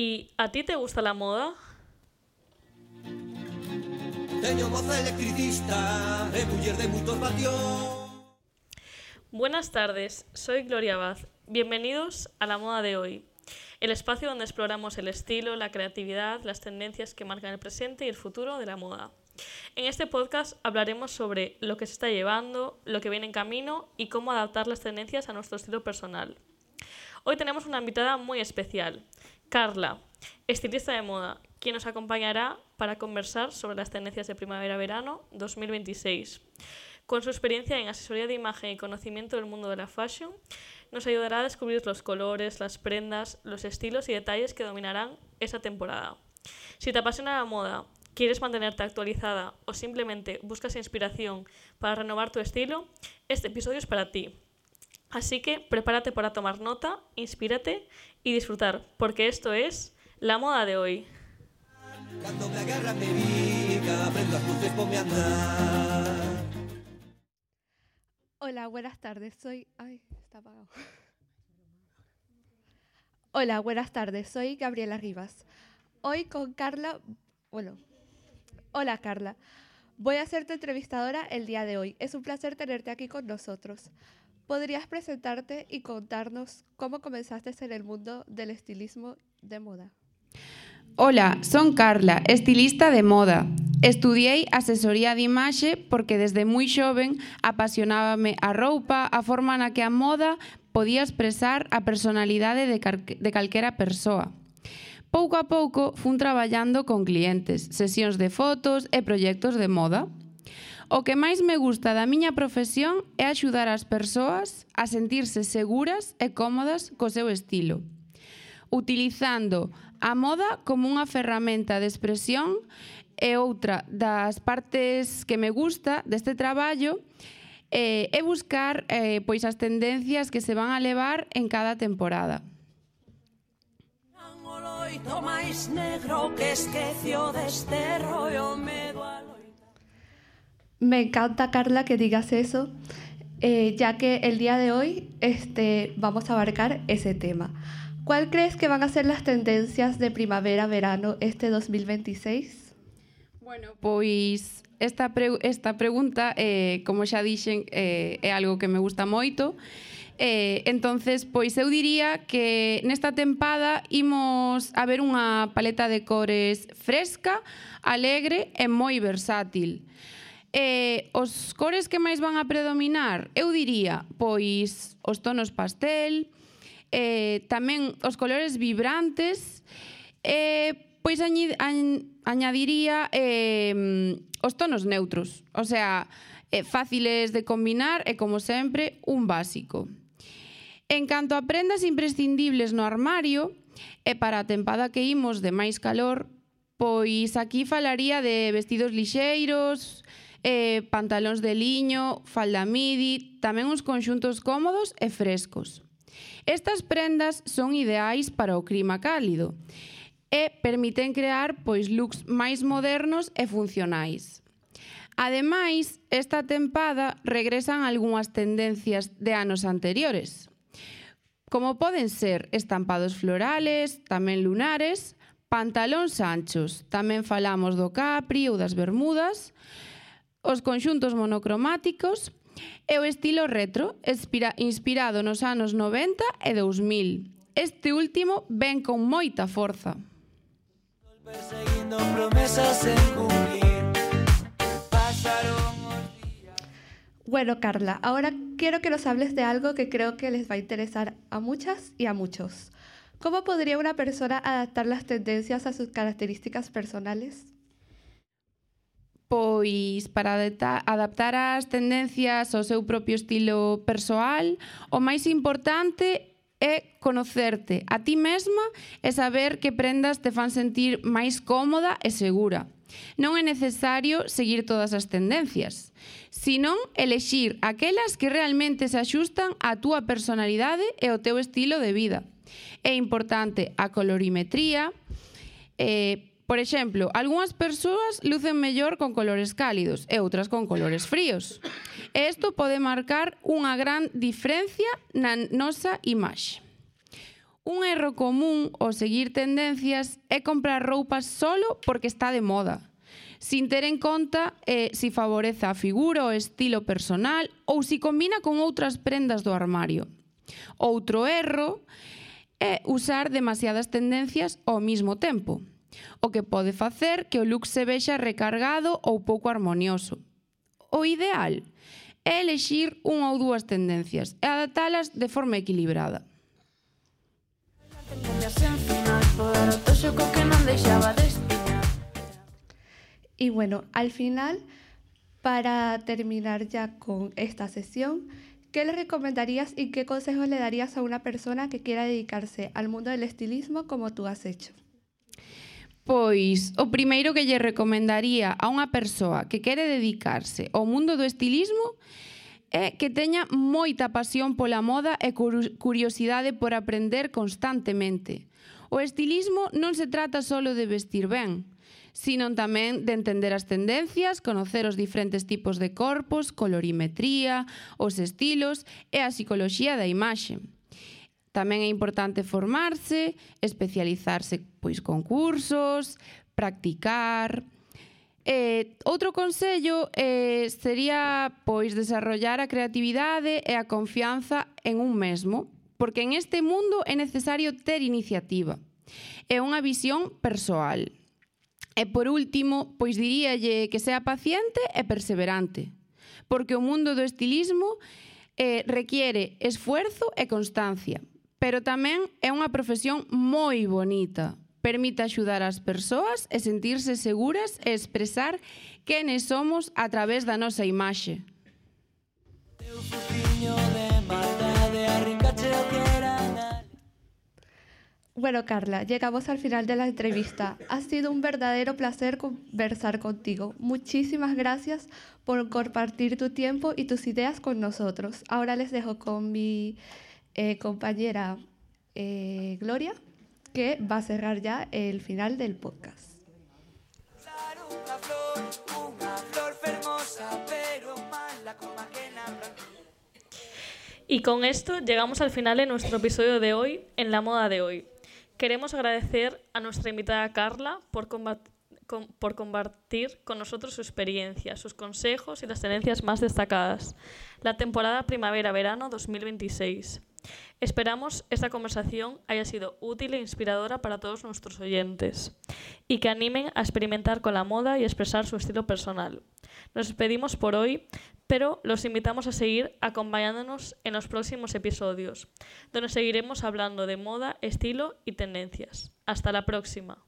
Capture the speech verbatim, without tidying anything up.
¿Y a ti te gusta la moda? Teño moza electricista e muller de moitos vatios. Buenas tardes, soy Gloria Abad. Bienvenidos a La Moda de Hoy, el espacio donde exploramos el estilo, la creatividad, las tendencias que marcan el presente y el futuro de la moda. En este podcast hablaremos sobre lo que se está llevando, lo que viene en camino y cómo adaptar las tendencias a nuestro estilo personal. Hoy tenemos una invitada muy especial, Carla, estilista de moda, quien nos acompañará para conversar sobre las tendencias de primavera-verano dos mil veintiséis. Con su experiencia en asesoría de imagen y conocimiento del mundo de la fashion, nos ayudará a descubrir los colores, las prendas, los estilos y detalles que dominarán esa temporada. Si te apasiona la moda, quieres mantenerte actualizada o simplemente buscas inspiración para renovar tu estilo, este episodio es para ti. Así que prepárate para tomar nota, inspírate y disfrutar, porque esto es La Moda de Hoy. Cuando me agarra me pica, prendo las luces, ponme a andar. Hola, buenas tardes, soy... Ay, está apagado. Hola, buenas tardes, soy Gabriela Rivas. Hoy con Carla... Bueno, hola Carla. Voy a ser tu entrevistadora el día de hoy. Es un placer tenerte aquí con nosotros. ¿Podrías presentarte y contarnos cómo comenzaste en el mundo del estilismo de moda? Hola, son Carla, estilista de moda. Estudiei asesoría de imaxe porque desde moi xoven apasionábame a roupa, a forma na que a moda podía expresar a personalidade de, car- de calquera persoa. Pouco a pouco fun traballando con clientes, sesións de fotos e proxectos de moda. O que máis me gusta da miña profesión é axudar as persoas a sentirse seguras e cómodas co seu estilo, utilizando a moda como unha ferramenta de expresión. E outra das partes que me gusta deste traballo eh, é buscar eh, pois as tendencias que se van a levar en cada temporada. Me encanta, Carla, que digas eso, eh, ya que el día de hoy este, vamos a abarcar ese tema. ¿Cuál crees que van a ser las tendencias de primavera-verano este dos mil veintiséis? Bueno, pois esta, pre esta pregunta, eh, como xa dixen, eh, é algo que me gusta moito. Eh, entonces, pois eu diría que nesta tempada imos a ver unha paleta de cores fresca, alegre e moi versátil. Eh, os cores que máis van a predominar, eu diría, pois os tonos pastel, eh, tamén os colores vibrantes, e pois añi, añ, añadiría eh, os tonos neutros, o sea, eh, fáciles de combinar e, como sempre, un básico. En canto a prendas imprescindibles no armario, e para a tempada que imos de máis calor, pois aquí falaría de vestidos lixeiros, eh, pantalóns de liño, falda midi, tamén uns conxuntos cómodos e frescos. Estas prendas son ideais para o clima cálido e permiten crear pois looks máis modernos e funcionais. Ademais, esta tempada regresan algunhas tendencias de anos anteriores, como poden ser estampados florales, tamén lunares, pantalóns anchos, tamén falamos do capri ou das bermudas, os conxuntos monocromáticos e o estilo retro, inspirado nos anos noventa e dous mil. Este último ven con moita forza. Perseguindo promesas en cumplir. Pasaron os días. Bueno, Carla, ahora quiero que nos hables de algo que creo que les va a interesar a muchas y a muchos. ¿Cómo podría una persona adaptar las tendencias a sus características personales? Pois para adaptar as tendencias ao seu propio estilo persoal, o máis importante é conocerte a ti mesma e saber que prendas te fan sentir máis cómoda e segura. Non é necesario seguir todas as tendencias, senón elexir aquelas que realmente se axustan á túa personalidade e ao teu estilo de vida. É importante a colorimetría. Eh, por exemplo, algunhas persoas lucen mellor con colores cálidos e outras con colores fríos. E isto pode marcar unha gran diferencia na nosa imaxe. Un erro común ao seguir tendencias é comprar roupa solo porque está de moda, sin ter en conta eh, si favorece a figura o estilo personal ou si combina con outras prendas do armario. Outro erro é usar demasiadas tendencias ao mesmo tempo, o que pode facer que o look se vexa recargado ou pouco armonioso. O ideal é elexir unha ou dúas tendencias e adaptalas de forma equilibrada. Y bueno, al final, para terminar ya con esta sesión, ¿qué le recomendarías y qué consejos le darías a una persona que quiera dedicarse al mundo del estilismo como tú has hecho? Pois, o primeiro que lle recomendaría a unha persoa que quere dedicarse ao mundo do estilismo é que teña moita pasión pola moda e curiosidade por aprender constantemente. O estilismo non se trata só de vestir ben, sino tamén de entender as tendencias, conocer os diferentes tipos de corpos, colorimetría, os estilos e a psicoloxía da imaxe. Tamén é importante formarse, especializarse pois con cursos, practicar. Eh, outro consello eh, sería pois desarrollar a creatividade e a confianza en un mesmo, porque en este mundo é necesario ter iniciativa e unha visión persoal. E por último, pois diríalle que sea paciente e perseverante, porque o mundo do estilismo eh, requiere esfuerzo e constancia, pero tamén é unha profesión moi bonita. Permite axudar as persoas e sentirse seguras e expresar quenes somos a través da nosa imaxe. Bueno, Carla, llegamos al final de la entrevista. Ha sido un verdadero placer conversar contigo. Muchísimas gracias por compartir tu tiempo y tus ideas con nosotros. Ahora les dejo con mi eh, compañera eh, Gloria, que va a cerrar ya el final del podcast. Y con esto llegamos al final de nuestro episodio de hoy, en la moda de hoy. Queremos agradecer a nuestra invitada Carla por, combat- con, por compartir con nosotros su experiencia, sus consejos y las tendencias más destacadas. La temporada primavera-verano dos mil veintiséis. Esperamos esta conversación haya sido útil e inspiradora para todos nuestros oyentes y que animen a experimentar con la moda y expresar su estilo personal. Nos despedimos por hoy, pero los invitamos a seguir acompañándonos en los próximos episodios, donde seguiremos hablando de moda, estilo y tendencias. Hasta la próxima.